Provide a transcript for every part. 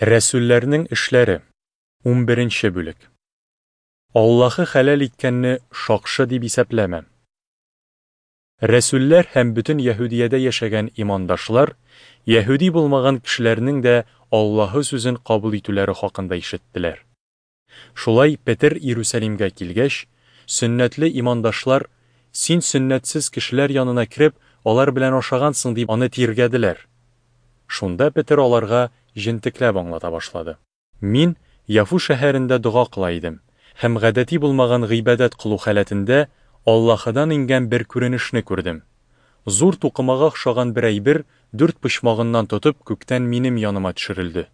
Рәсүлләрнең эшләре, унберенче бүлек. Аллаһы хәләл иткәнне шакшы дип исәпләмә. Рәсүлләр һәм бөтен Яһүдиядә яшәгән имандашлар яһүди булмаган кешеләрнең дә Аллаһы сүзен кабул итүләре хакында ишеттеләр. Шулай Петер Иерусалимгә килгәч, сөннәтле имандашлар, Син сөннәтсез кешеләр янына кереп, алар белән ашагансың, дип аны тиргәделәр. Шунда Петер аларга җентекләп аңлата башлады. Мин Яфу шәһәрендә дога кыла идем һәм гадәти булмаган гыйбадәт кылу халәтендә Аллаһыдан иңгән бер күренешне күрдем. Зур тукымага охшаган бер әйбер дүрт почмагыннан тотып күктән минем яныма төшерелде.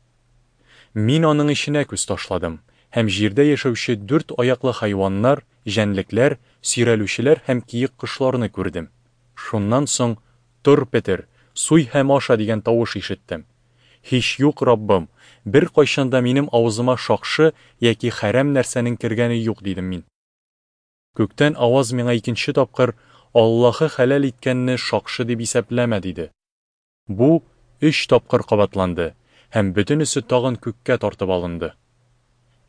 Мин аның эченә күз ташладым, һәм җирдә яшәүче дүрт аяклы хайваннар, җәнлекләр, сөйрәлүчеләр һәм киек кошларны күрдем. Шуннан соң, Тор, Петер, суй һәм аша, дигән тавыш ишеттем. Һич юк, Раббым, беркайчан да минем авызыма шакшы яки хәрәм нәрсәнең кергәне юк, дидем мин. Күктән аваз миңа икенче тапкыр, Аллаһы хәләл иткәнне шакшы дип исәпләмә, диде. Бу өч тапкыр кабатланды, һәм бөтенесе тагын күккә тартып алынды.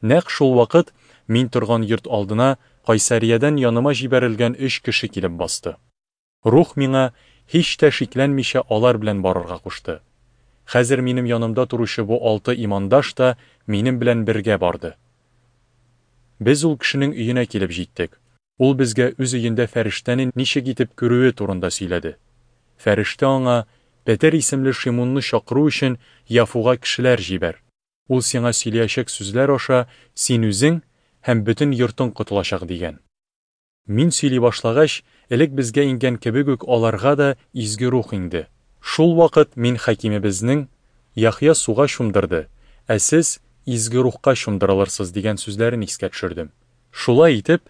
Нәкъ шул вакыт мин торган йорт алдына Кайсариядән яныма җибәрелгән өч кеше килеп басты. Рух миңа һич тә шикләнмичә алар белән барырга кушты. Хәзер минем янымда торучы бу алты имандаш та минем белән бергә барды. Без ул кешенең өенә килеп җиттек. Ул безгә үз өендә фәрештәне ничек итеп күрүе турында сөйләде. Фәрештә аңа, Петер исемле Шимунны чакыру өчен Яфуга кешеләр җибәр. Ул сиңа сөйләячәк сүзләр аша син үзең һәм бөтен йортың котылачак, дигән. Мин сөйли башлагач, элек безгә иңгән кебек үк аларга да Изге Рух иңде. Шул вакыт мин хакимебезнең, Яхъя суга чумдырды, ә сез Изге Рухка чумдырылырсыз, дигән сүзләрен искә төшердем. Шулай итеп,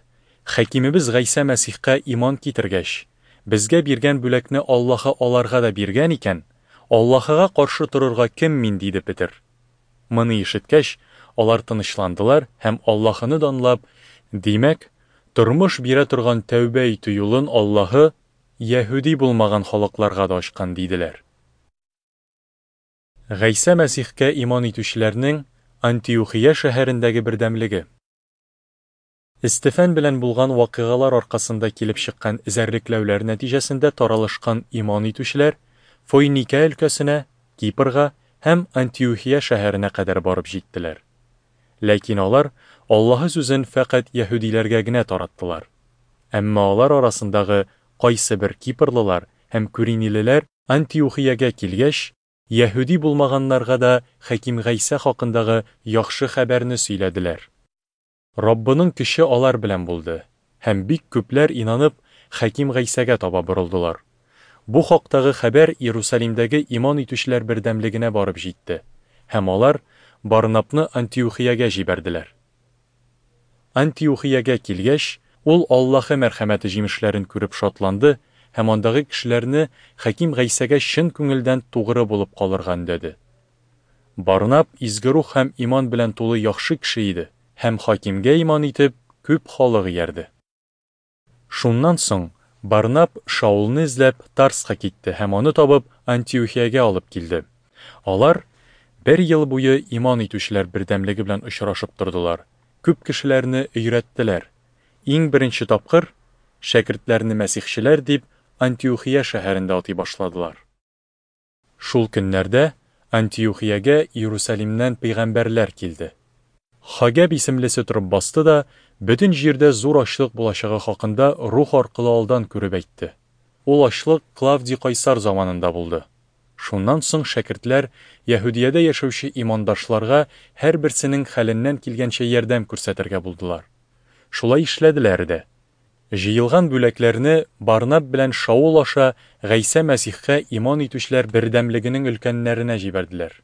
Хакимебез Гайсә Мәсихкә иман китергәч, безгә биргән бүләкне Аллаһы аларга да биргән икән, Аллаһыга каршы торырга кем мин, диде Петер. Моны ишеткәч, алар тынычландылар һәм Аллаһыны данлап, Димәк, тормыш бирә торган тәүбә итү юлын Аллаһы яһүди булмаган халыкларга да ачкан, диделәр. Гайсә Мәсихкә иман итүчеләрнең Антиухия шәһәрендәге бердәмлеге. Эстефән белән булган вакыйгалар аркасында килеп чыккан эзәрлекләүләр нәтиҗәсендә таралышкан иман итүчеләр Фойникә өлкәсенә, Кипрга һәм Антиухия шәһәренә кадәр барып җиттеләр. Ләкин алар Аллаһы сүзен фәкать яһүдиләргә генә тараттылар. Әмма алар арасындагы кайсыбер кипрлылар һәм күринилеләр Антиухиягә килгәч, яһүди булмаганнарга да Хәким Гайсә хакындагы яхшы хәбәрне сөйләделәр. Раббының көче алар белән булды, һәм бик күпләр инанып, Хәким Гайсәгә таба борылдылар. Бу хактагы хәбәр Иерусалимдәге иман итүчеләр бердәмлегенә барып җитте, һәм алар Барнабны Антиухиягә җибәрделәр. Антиухиягә килгәч, ул Аллаһы мәрхәмәте җимешләрен күреп шатланды һәм андагы кешеләрне Хәким Гайсәгә чын күңелдән тугры булып калырга өндәде. Барнаб Изге Рух һәм иман белән тулы яхшы кеше иде һәм Хакимгә иман итеп, күп халык иярде. Шуннан соң Барнаб Шаулны эзләп Тарска китте һәм аны табып Антиухиягә алып килде. Алар бер ел буе иман итүчеләр бердәмлеге белән очрашып тордылар, күп кешеләрне өйрәттеләр. Иң беренче тапкыр шәкертләрне мәсихчеләр дип Антиухия шәһәрендә атый башладылар. Шул көннәрдә Антиухиягә Иерусалимнән пәйгамбәрләр килде. Хагәб исемлесе торып басты да, бөтен җирдә зур ачлык булачагы хакында Рух аркылы алдан күреп әйтте. Ул ачлык Клавдий кайсар заманында булды. Шуннан соң шәкертләр Яһүдиядә яшәүче имандашларга һәрберсенең хәленнән килгәнчә ярдәм күрсәтергә булдылар. Шулай эшләделәр дә. Җыелган бүләкләрне Барнаб белән Шаул аша Гайсә Мәсихкә иман итүчеләр бердәмлегенең өлкәннәренә җибәрделәр.